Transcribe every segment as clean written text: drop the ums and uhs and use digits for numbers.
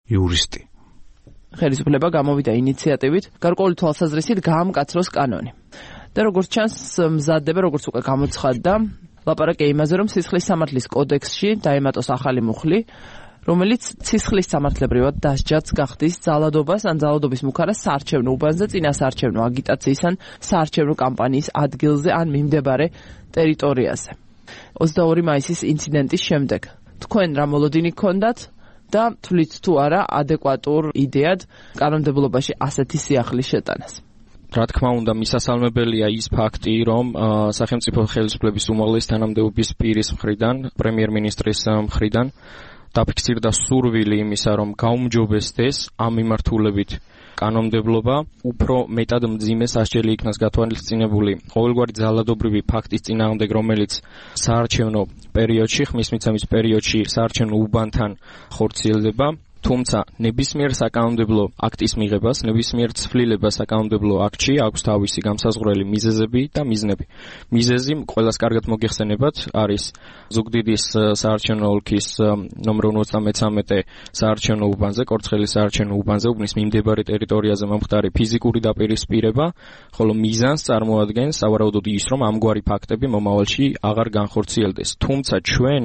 იურისტი. ხელისუფლება გამოვიდა ინიციატივით გარკვეული თვალსაზრისით გაამკაცროს კანონი. და როგორც ჩანს, მზადდება, როგორც უკვე გამოცხადდა, ლაპარაკია იმაზე, რომ სისხლის სამართლის კოდექსში დაემატოს ახალი მუხლი, რომელიც სისხლის სამართლებრივად დასჯაც გახდის ძალადობას ან ძალადობის მუქარას საარჩევნო უბანზე, წინა საარჩევნო აგიტაციის ან საარჩევნო კამპანიის ადგილზე ან მიმდებარე ტერიტორიაზე. 22 მაისის ინციდენტის შემდეგ თქვენ რა მოლოდინი გქონდათ და თვლით თუ არა ადეკვატურ იდეად კანონმდებლობაში ასეთი სიახლის შეტანას? რა თქმა უნდა, მისასალმებელია ის ფაქტი, რომ სახელმწიფო ხელისუფლების უმაღლესი თანამდებობის პირის მხრიდან, პრემიერ-მინისტრის მხრიდან დაფიქსირდა სურვილი იმისა, რომ გაუმჯობესდეს ამ მიმართულებით კანონმდებლობა, უფრო მეტად მძიმე სასჯელი იქნას გათვალისწინებული ყოველგვარი ძალადობრივი ფაქტის წინააღმდეგ, რომელიც საარჩევნო პერიოდში, ხმის მიცემის პერიოდში საარჩევნო უბანთან ხორციელდება. თუმცა ნებისმიერ საკანონმდებლო აქტის მიღებას, ნებისმიერ ცვლილებას საკანონმდებლო აქტში აქვს თავისი გამსაზღვრელი მიზეზები და მიზნები. მიზეზი ყველას კარგად მოგეხსენებათ არის ზუგდიდის საარჩევნო ოლქის ნომერ 53 საარჩევნო უბანზე, კორცხელის საარჩევნო უბანზე უბნის მიმდებარე ტერიტორიაზე მომხდარი ფიზიკური დაპირისპირება, ხოლო მიზანს წარმოადგენს სავარაუდოდ ის, რომ ამგვარი ფაქტები მომავალში აღარ განხორციელდეს. თუმცა ჩვენ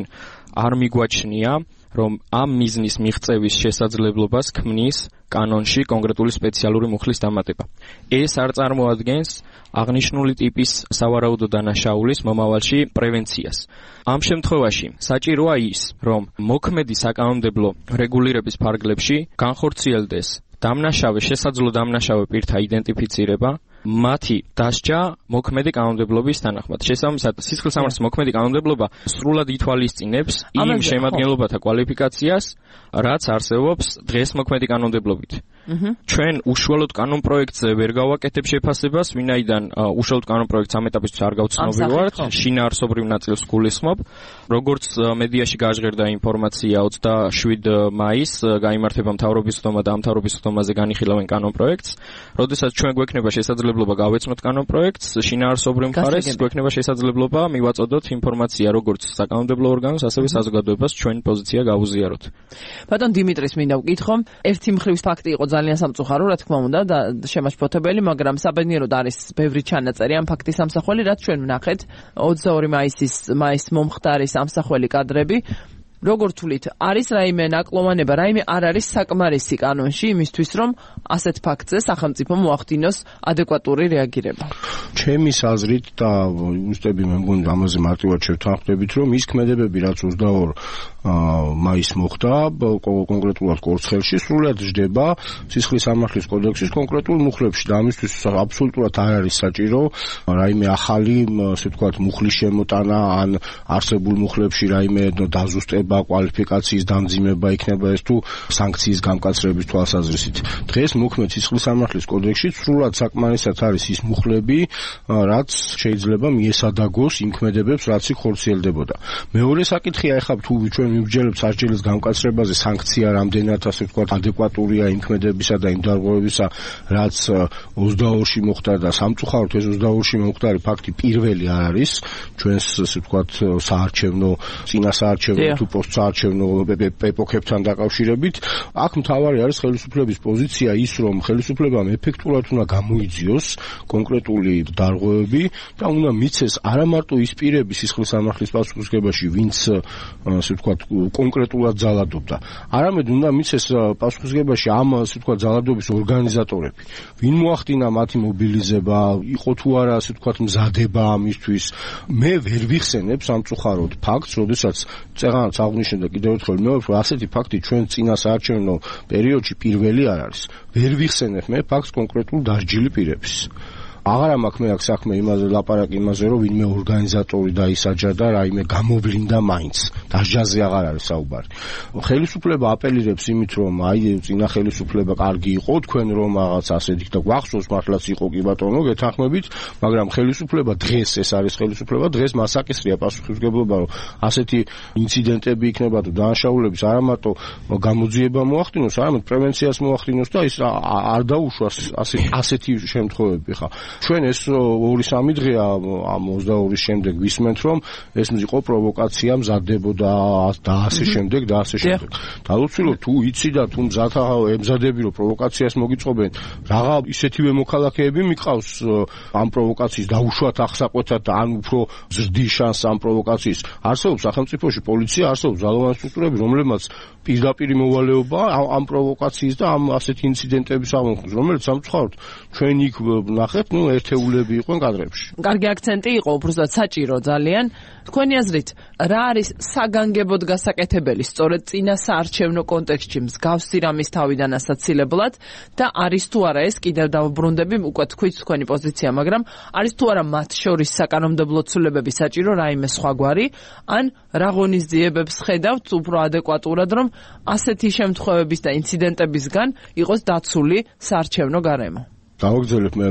არ მიგვაჩნია რომ ამ მიზნის მიღწევის შესაძლებლობას ქმნის კანონში კონკრეტული სპეციალური მუხლის დამატება. ეს არ წარმოადგენს აღნიშნული ტიპის სავარაუდო დანაშაულის მომავალში პრევენციას. ამ შემთხვევაში საჭიროა ის, რომ მოქმედი საკანონმდებლო რეგულირების ფარგლებში განხორციელდეს დამნაშავე, შესაძლო დამნაშავე პირთა იდენტიფიცირება, მათი დასჯა მოქმედი კანონმდებლობის თანახმად. შესაბამისად, სისხლის სამართლის მოქმედი კანონმდებლობა სრულად ითვალისწინებს იმ შემადგენლობათა კვალიფიკაციას, რაც არსებობს დღეს მოქმედი კანონმდებლობით. ჩვენ უშუალოდ კანონპროექტზე ვერ გავაკეთებ შეფასებას, ვინაიდან უშუალოდ კანონპროექტს ამ ეტაპისთვის არ გავცნობი ვართ, შინაარსობრივ ნაწილს გულისხმობ. როგორც მედიაში გაჟღერდა ინფორმაცია, 27 მაისს გაიმართება მთავრობის ხდომა და ამ მთავრობის ხდომაზე განიხილავენ კანონპროექტს. როდესაც ჩვენ გვექნება შესაძლებლობა გავეცნოთ კანონპროექტს, შინაარსობრივ მხარეს გვექნება შესაძლებლობა მივაწოდოთ ინფორმაცია როგორც საკანონმდებლო ორგანოს, ასევე საზოგადოებას ჩვენი პოზიცია გავუზიაროთ. ბატონ დიმიტრის მინდა ვკითხო, ერთი მხრივ ფაქტი იყო ძალიან სამწუხარო, რა თქმა უნდა და შემაშფოთებელი, მაგრამ საბედნიეროდ არის ბევრი ჩანაწერი ამ ფაქტის ამსახველი, რაც ჩვენ ვნახეთ 22 მაისის მომხდარი სამსახველი კადრები. როგორ თვლით, არის რაიმე ნაკლოვანება, რაიმე არ არის საკმარისი კანონში იმისთვის, რომ ასეთ ფაქტზე სახელმწიფო მოახდინოს ადეკვატური რეაგირება? ჩემი აზრით და უსტები მე მგონი ამაზე მარტივად შევთანხმდებით, რომ ის ქმედებები, რაც 22 მაისს მოხდა, კონკრეტულად კორცხელში, სრულად ჯდება სისხლის სამართლის კოდექსის კონკრეტულ მუხლებში და ამისთვის აბსოლუტურად არ არის საჭირო რაიმე ახალი, ასე ვთქვათ, მუხლის შემოტანა ან არსებულ მუხლებში რაიმე დაზუსტება, კვალიფიკაციის დამძიმება იქნება ეს თუ სანქციის გამკაცრების თვალსაზრისით. დღეს მოქმედ სისხლის სამართლის კოდექსში სრულად საკმარისად არის ის მუხლები, რაც შეიძლება მიესადაგოს იმ ქმედებებს, რაც იქ ხორციელდებოდა. მეორე საკითხია, ეხლა თუ ჩვენ მივსჯელებთ სასჯელის გამკაცრებაზე, სანქცია რამდენად, ასე ვთქვათ, ადეკვატურია იმ ქმედებისა და იმ დარღვევებისა, რაც 22-ში მოხდა და სამწუხაროდ ეს 22-ში მომხდარი ფაქტი პირველი არ არის ჩვენს, ასე ვთქვათ, საარჩევნო, წინა საარჩევნო თუ პოსტსაარჩევნო ეპოქებთან დაკავშირებით. აქ მთავარი არის ხელისუფლების პოზიცია ის, რომ ხელისუფლებამ ეფექტურად უნდა გამოიძიოს კონკრეტული დარღვევები და უნდა მიცეს არა მარტო ის პირები სისხლის სამართლის პასუხისმგებაში, ვინც, ასე ვთქვათ, კონკრეტულად ძალადობდა, არამედ უნდა მიცეს პასუხისმგებაში ამ, ასე ვთქვათ, ძალადობის ორგანიზატორები. ვინ მოახდინა მათი მობილიზება, იყო თუ არა, ასე ვთქვათ, მზადება ამისთვის. მე ვერ ვიხსენებ სამწუხაროდ ფაქტს, როდესაც წეღანაც აღნიშნე და კიდევ ერთხელ მეორე, რომ ასეთი ფაქტი ჩვენ წინა საარჩევნო პერიოდში პირველი არ არის. ვერ ვიხსენებ მე ფაქტს კონკრეტულ დასჯილი პირების. აღარ მაქვს მე აქ საქმე იმაზე ლაპარაკი იმაზე, რომ ვინმე ორგანიზატორი დაისაჯა და რაიმე გამოვლინდა მაინც. დასჯაზე აღარ არის საუბარი. ხელისუფლება აპელირებს იმით, რომ აი წინა ხელისუფლება კარგი იყო, თქვენ რომ რაღაც ასეთი და გვახსოვს მართლაც იყო კი ბატონო, გეთანხმებით, მაგრამ ხელისუფლება დღეს ეს არის ხელისუფლება, დღეს მას აკისრია პასუხისმგებლობა, რომ ასეთი ინციდენტები იქნება თუ დანაშაულების არა მარტო გამოძიება მოახდინოს, არამედ პრევენციას მოახდინოს და ის არ დაუშვას ასეთი შემთხვევები ხა. ჩვენ ეს 2-3 დღეა ამ 22-ის შემდეგ ვისმენთ, რომ ეს იყო პროვოკაცია, მზადდებოდა და ასე შემდეგ და ასე შემდეგ. დავუცილო თუ იცი და თუ ემზადები რომ პროვოკაციას მოგიწყობენ, რაღა ისეთივე მოქალაქეები მიყავს ამ პროვოკაციის დაუშვათ აღსაყვეთად და ან უფრო ზრდის შანსს ამ პროვოკაციის. არსებობს სახელმწიფოში პოლიცია, არსებობს ძალოვანი სტრუქტურები, რომლებმაც პირდაპირ მოვალეობა ამ პროვოკაციის და ამ ასეთი ინციდენტების აღმოხსნას, რომელიც სამწუხაროდ ჩვენ იქ ნახეთ, ერთეულები იყვნენ კადრებში. კარგი აქცენტი იყო, უბრალოდ საჭირო ძალიან. თქვენი აზრით, რა არის საგანგებოდ გასაკეთებელი სწორედ წინა საარჩევნო კონტექსტში მსგავსი რამის თავიდან ასაცილებლად და არის თუ არა ეს კიდევ დავბრუნდები, უკვე თქვით თქვენი პოზიცია, მაგრამ არის თუ არა მათ შორის საკანონმდებლო ცვლილებები საჭირო რაიმე სხვაგვარი, ან რა ღონისძიებებს ხედავთ უფრო ადეკვატურად, რომ ასეთი შემთხვევების და ინციდენტებისგან იყოს დაცული საარჩევნო გარემო. დავაგრძელებ მე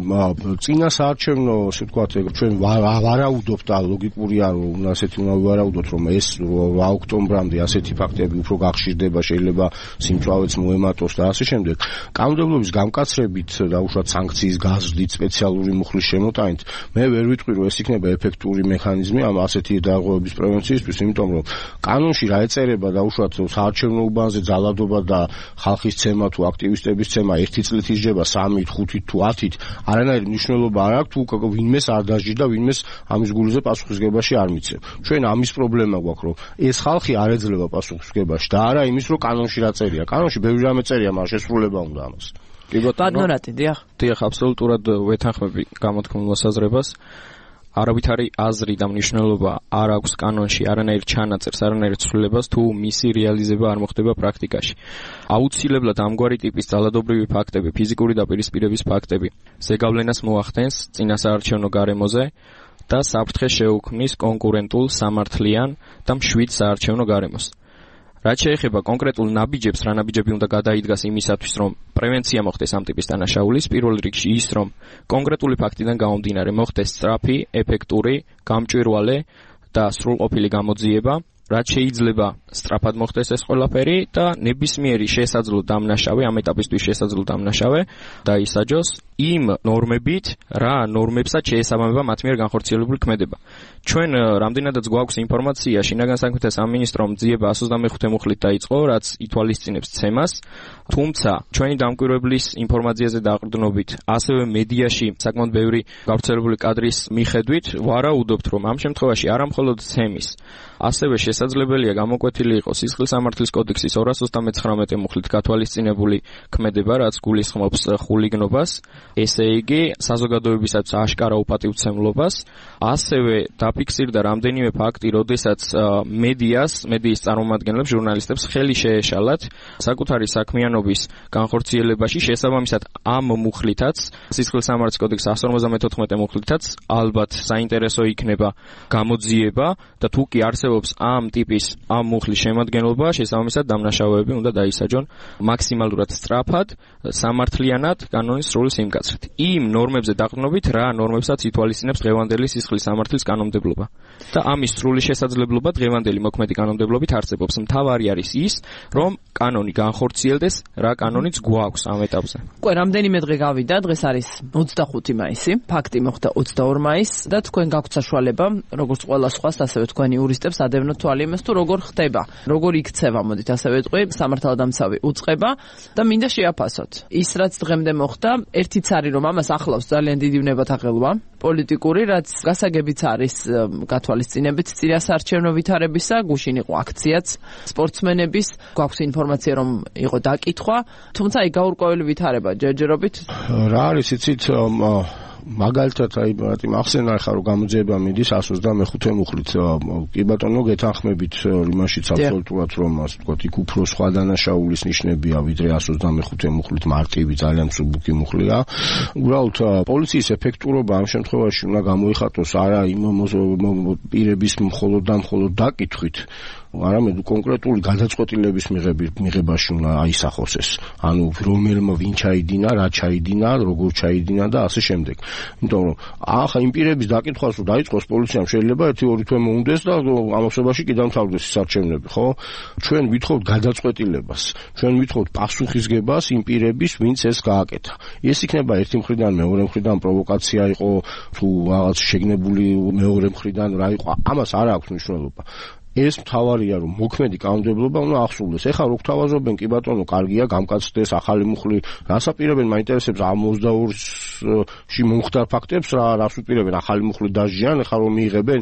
წინა საარჩევნო, ასე ვთქვათ, ჩვენ ვარაუდობთ და ლოგიკურია, რომ ასეთი უნდა ვარაუდოთ, რომ ეს ოქტომბრამდე ასეთი ფაქტები უფრო გახშირდება, შეიძლება სიმწვავეც მოემატოს და ასე შემდეგ. კანონმდებლობის გამკაცრებით და უშუალოდ სანქციის გაზრდით, სპეციალური მუხლის შემოტანით, მე ვერ ვიტყვი, რომ ეს იქნება ეფექტური მექანიზმი ამ ასეთი დაღუპების პრევენციისთვის, იმიტომ რომ კანონში რა ეწერება და უშუალოდ საარჩევნო უბანზე ძალადობა და ხალხის ცემა თუ აქტივისტების ცემა 1 წლით ისჯება 3, 5 თუ 10-ით არანაირი მნიშვნელობა არ აქვს, თუ ვინმეს არ დაჟი და ვინმეს ამის გულიზე პასუხისგებაში არ მიცემ. ჩვენ ამის პრობლემა გვაქვს, რომ ეს ხალხი არ ეძლევა პასუხისგებაში და არა იმის, რომ კანონში რა წერია. კანონში ბევრი რამე წერია, მაგრამ შესრულება უნდა ამას. კი ბატონო, დიახ, აბსოლუტურად ვეთანხმები გამოთქმულ მოსაზრებას. არავითარი აზრი და მნიშვნელობა არ აქვს კანონში არანაირ ჩანაწერს, არანაირ ცვლილებას, თუ მისი რეალიზება არ მოხდება პრაქტიკაში. აუცილებლად ამგვარი ტიპის ძალადობრივი ფაქტები, ფიზიკური დაპირისპირების ფაქტები ზეგავლენას მოახდენს წინასაარჩევნო გარემოზე და საფრთხეს შეუქმნის კონკურენტულ, სამართლიან და მშვიდ საარჩევნო გარემოს. რაც შეეხება კონკრეტულ ნაბიჯებს, რა ნაბიჯები უნდა გადაიდგას იმისათვის, რომ პრევენცია მოხდეს ამ ტიპის დანაშაულის, პირველ რიგში ის, რომ კონკრეტული ფაქტიდან გამომდინარე მოხდეს სწრაფი, ეფექტური, გამჭვირვალე და სრულყოფილი გამოძიება, რაც შეიძლება სწრაფად მოხდეს ეს ყველაფერი და ნებისმიერი შესაძლო დამნაშავე, ამ ეტაპისთვის შესაძლო დამნაშავე დაისაჯოს იმ ნორმებით, რა ნორმებსაც შეესაბამება მათ მიერ განხორციელებული ქმედება. ჩვენ რამდენადაც გვაქვს ინფორმაცია, შინაგან საქმეთა სამინისტრომ ძიება 125 მუხლით დაიწყო, რაც ითვალისწინებს ცემას, თუმცა ჩვენი დამკვირვებლის ინფორმაციაზე დაყრდნობით, ასევე მედიაში საკმაოდ ბევრი გავრცელებული კადრის მიხედვით, ვარაუდობთ, რომ ამ შემთხვევაში არა მხოლოდ ცემის, ასევე შესაძლებელია გამოკვეთილი იყოს სისხლის სამართლის კოდექსის 239 მუხლით გათვალისწინებული ქმედება, რაც გულისხმობს ხულიგნობას, ესე იგი საზოგადოებისათვის აშკარა უპატივცემლობას, ასევე დაფიქსირდა რამდენიმე ფაქტი, როდესაც მედიის წარმომადგენლებს, ჟურნალისტებს ხელი შეეშალათ საკუთარი საქმიანობის განხორციელებაში, შესაბამისად ამ მუხლითაც, სისხლის სამართლის კოდექსის 154 მუხლითაც ალბათ საინტერესო იქნება გამოძიება და თუ კი არსებობს ამ ტიპის ამ მუხლის შემადგენლობა, შესაბამისად დამნაშავეები უნდა დაისაჯონ მაქსიმალურად სწრაფად, სამართლიანად, კანონის სრული სიმკაცრით. იმ ნორმებზე დაყრდნობით, რა ნორმებსაც ითვალისწინებს დღევანდელი სისხლის სამართლის კანონმდებლობა. და ამის სრული შესაძლებლობა დღევანდელი მოქმედი კანონმდებლობით არსებობს. მთავარი არის ის, რომ კანონი განხორციელდეს, რა კანონიც გვაქვს ამ ეტაპზე. უკვე რამდენიმე დღე გავიდა, დღეს არის 25 მაისი, ფაქტი მოხდა 22 მაისს და თქვენ გაქვთ საშუალება, როგორც ყველა სხვას, ასევე თქვენი იურისტებს ადევნოთ თვალი იმას, თუ როგორ ხდება, როგორ იქცევა, მოდით ასე ვეტყვი, სამართალდამცავი უწყება და მინდა შეაფასოთ. ის რაც დღემდე მოხდა, ერთიც არის, რომ ამას ახლავს ძალიან დიდი ვნებათაღელვა პოლიტიკური, რაც გასაგებიც არის გათვალისწინებით წინასაარჩევნო ვითარებისა, გუშინ იყო აქციაც სპორტსმენების, გვაქვს ინფორმაცია, რომ იყო დაკითხვა, თუმცა აი გაურკვეველი ვითარება ჯერჯერობით. რა არის იცით, მაგალითად აი მახსენა ხარ რომ გამოძიება მიდის 125 მუხლით. კი ბატონო, გეთანხმებით იმაშიც აბსოლუტურად, რომ ასე ვთქვათ, იქ უფრო სხვა დანაშაულის ნიშნებია, ვიდრე 125 მუხლით მარტივი, ძალიან მსუბუქი მუხლია. უბრალოდ პოლიციის ეფექტურობა ამ შემთხვევაში უნდა გამოიხატოს არა იმ პირების მხოლოდ და მხოლოდ დაკითხვით, არამედ კონკრეტული გადაწყვეტილების მიღებაში უნდა აისახოს ეს. ანუ რომელმა ვინ ჩაიდინა, რა ჩაიდინა, როგორ ჩაიდინა და ასე შემდეგ. იმიტომ რომ ახლა იმ პირების დაკითხვას რომ დაიწყოს პოლიციამ შეიძლება 1-2 თვე მოუნდეს და ამასობაში კი დამთავრდეს ის არჩევნები, ხო? ჩვენ ვითხოვთ გადაწყვეტილებას. ჩვენ ვითხოვთ პასუხისგებას იმ პირების, ვინც ეს გააკეთა. ეს იქნება ერთი მხრიდან, მეორე მხრიდან პროვოკაცია იყო, თუ რაღაც შეგნებული მეორე მხრიდან რა იყო, ამას არ აქვს მნიშვნელობა. ეს მთავარია რომ მოქმედი კანონმდებლობა უნდა ახსოვდეს. ეხლა რო გთავაზობენ კი ბატონო, კარგია, გამკაცდეს ახალი მუხლი, რას აპირებენ მაინტერესებს ამ 22-ში მომხდარ ფაქტებს, რას უპირებენ ახალი მუხლი დაჟიან, ეხლა რომ მიიღებენ.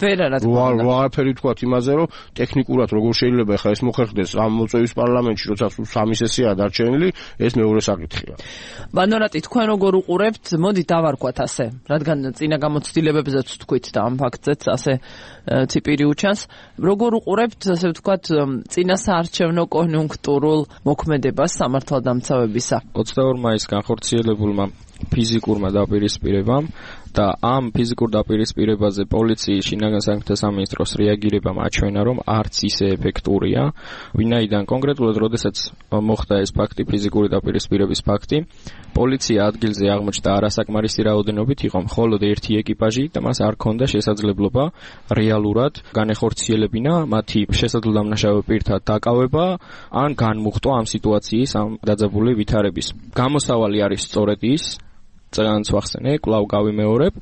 არაფერი თქვათ იმაზე, რომ ტექნიკურად როგორ შეიძლება ეხლა ეს მოხერხდეს ამ მოწვევის პარლამენტში, როცა სულ 3 სესიაა დარჩენილი, ეს მეორე საკითხია. ბანორატი, თქვენ როგორ უყურებთ? მოდით დავარქვათ ასე, რადგან წინა გამოცდილებებზეც თქვით და ამ ფაქტზეც ასე ციპირი უჩანს. როგორ უყურებთ, ასე ვთქვათ, წინა საარჩევნო კონიუნქტურულ მოქმედებას სამართალდამცავებისა? 22 მაისს განხორციელებულმა ფიზიკურმა დაპირისპირებამ და ამ ფიზიკურ დაპირისპირებაზე პოლიციის შინაგან საქმეთა სამინისტროს რეაგირებამ აჩვენა, რომ არც ისე ეფექტურია, ვინაიდან კონკრეტულად როდესაც მოხდა ეს ფაქტი, ფიზიკური დაპირისპირების ფაქტი, პოლიცია ადგილზე აღმოჩნდა არასაკმარისი რაოდენობით, იყო მხოლოდ ერთი ეკიპაჟი და მას არ ჰქონდა შესაძლებლობა რეალურად განეხორციელებინა მათი შესაძლებლამნაშავე პირთა დაკავება ან განმუხტვა ამ სიტუაციის, ამ დაძაბული ვითარების. გამოსავალი არის სწორედ ის, წეგანაც ვახსენე, კვლავ გავიმეორებ,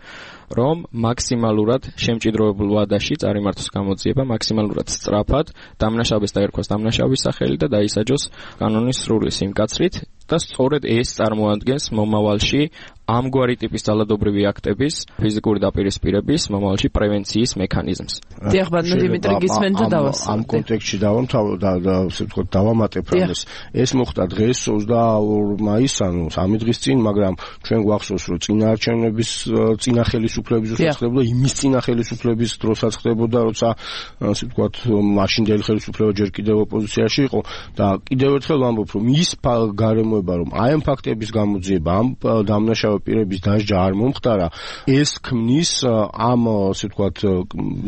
რომ მაქსიმალურად შემჭიდროებულ ვადაში წარიმართოს გამოძიება, მაქსიმალურად სწრაფად დამნაშავეს დაერქვას დამნაშავის სახელი და დაისაჯოს კანონის სრული სიმკაცრით და სწორედ ეს წარმოადგენს მომავალში ამგვარი ტიპის ძალადობრივი აქტების, ფიზიკური დაპირისპირების მომავალში პრევენციის მექანიზმს. დიახ, ბატონო დიმიტრი, გისმენთ და დავასრულოთ. ამ კონტექსტში დავამატებ რამეს. ეს მოხდა დღეს 22 მაისს, ანუ 3 დღის წინ, მაგრამ ჩვენ გვახსოვს, რომ წინა არჩევნების წინა ხელისუფლების დროსაც ხდებოდა, იმის წინა ხელისუფლების დროსაც ხდებოდა, როცა ასე ვთქვათ, მაშინდელი ხელისუფლება ჯერ კიდევ ოპოზიციაში იყო და კიდევ ერთხელ ვამბობ, რომ ის გარემოება, რომ აი ამ ფაქტების გამოძიება, ამ დამნაშავე პირების დასჯა არ მომხდარა, ეს ქმნის ამ ასე ვთქვათ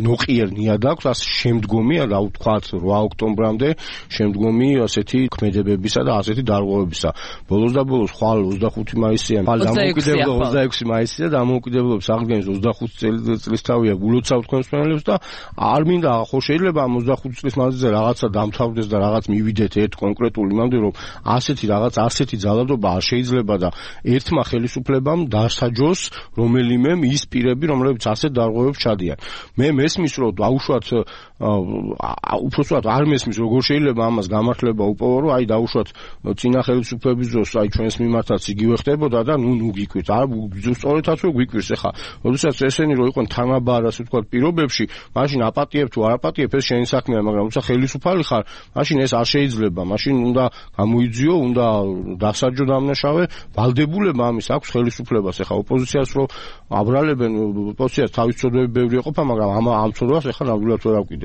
ნოყიერ ნიადაგს ამ შემდგომი, რა ვთქვათ 8 ოქტომბრამდე შემდგომი ასეთი ქმედებებისა და ასეთი დარღვევებისა. ბოლოს და ბოლოს ხვალ 25 მაისია, ხვალ დამოუკიდებლობა 26 მაისია და დამოუკიდებლობის აღდგენის 25 წლის თავია გულოცავ თქვენს მენელებს და არ მინდა ხო შეიძლება ამ 25 წლის მანძილზე რაღაცა დამთავრდეს და რაღაც მივიდეთ ერთ კონკრეტულ იმამდე, რომ ასეთი რაღაც ასეთი ძალადობა არ შეიძლება და ერთმა ხელისუფლებამ დასაჯოს რომელიმე ის პირები, რომლებიც ასეთ დარღვევებს ჩადიან. მე მესმის, რომ დაუშვათ უბრალოდ არ მესმის, როგორ შეიძლება ამას გამართლება უპოვო, რომ აი დაუშვათ წინა ხელისუფლების დროს, აი ჩვენს მიმართაც იგივე ხდებოდა და ნუ გიკვირს. არ სწორედაც რო გიკვირს ახლა. როდესაც ესენი რო იყვნენ თანაბარ, ასე ვთქვათ, პირობებში, მაშინ აპატიებ თუ არ აპატიებ, ეს შენი საქმეა, მაგრამ როცა ხელისუფალი ხარ, მაშინ ეს არ შეიძლება. მაშინ უნდა გამოიძიო, უნდა დასაჯო დამნაშავე, ვალდებულება ამის აქვს ხელისუფლებას. ახლა ოპოზიციას რო აბრალებენ, ოპოზიციას თავის ცოდვები ბევრი ეყოფა, მაგრამ ამ ცოდვას ახლა ნამდვილად ვერ ავკიდე.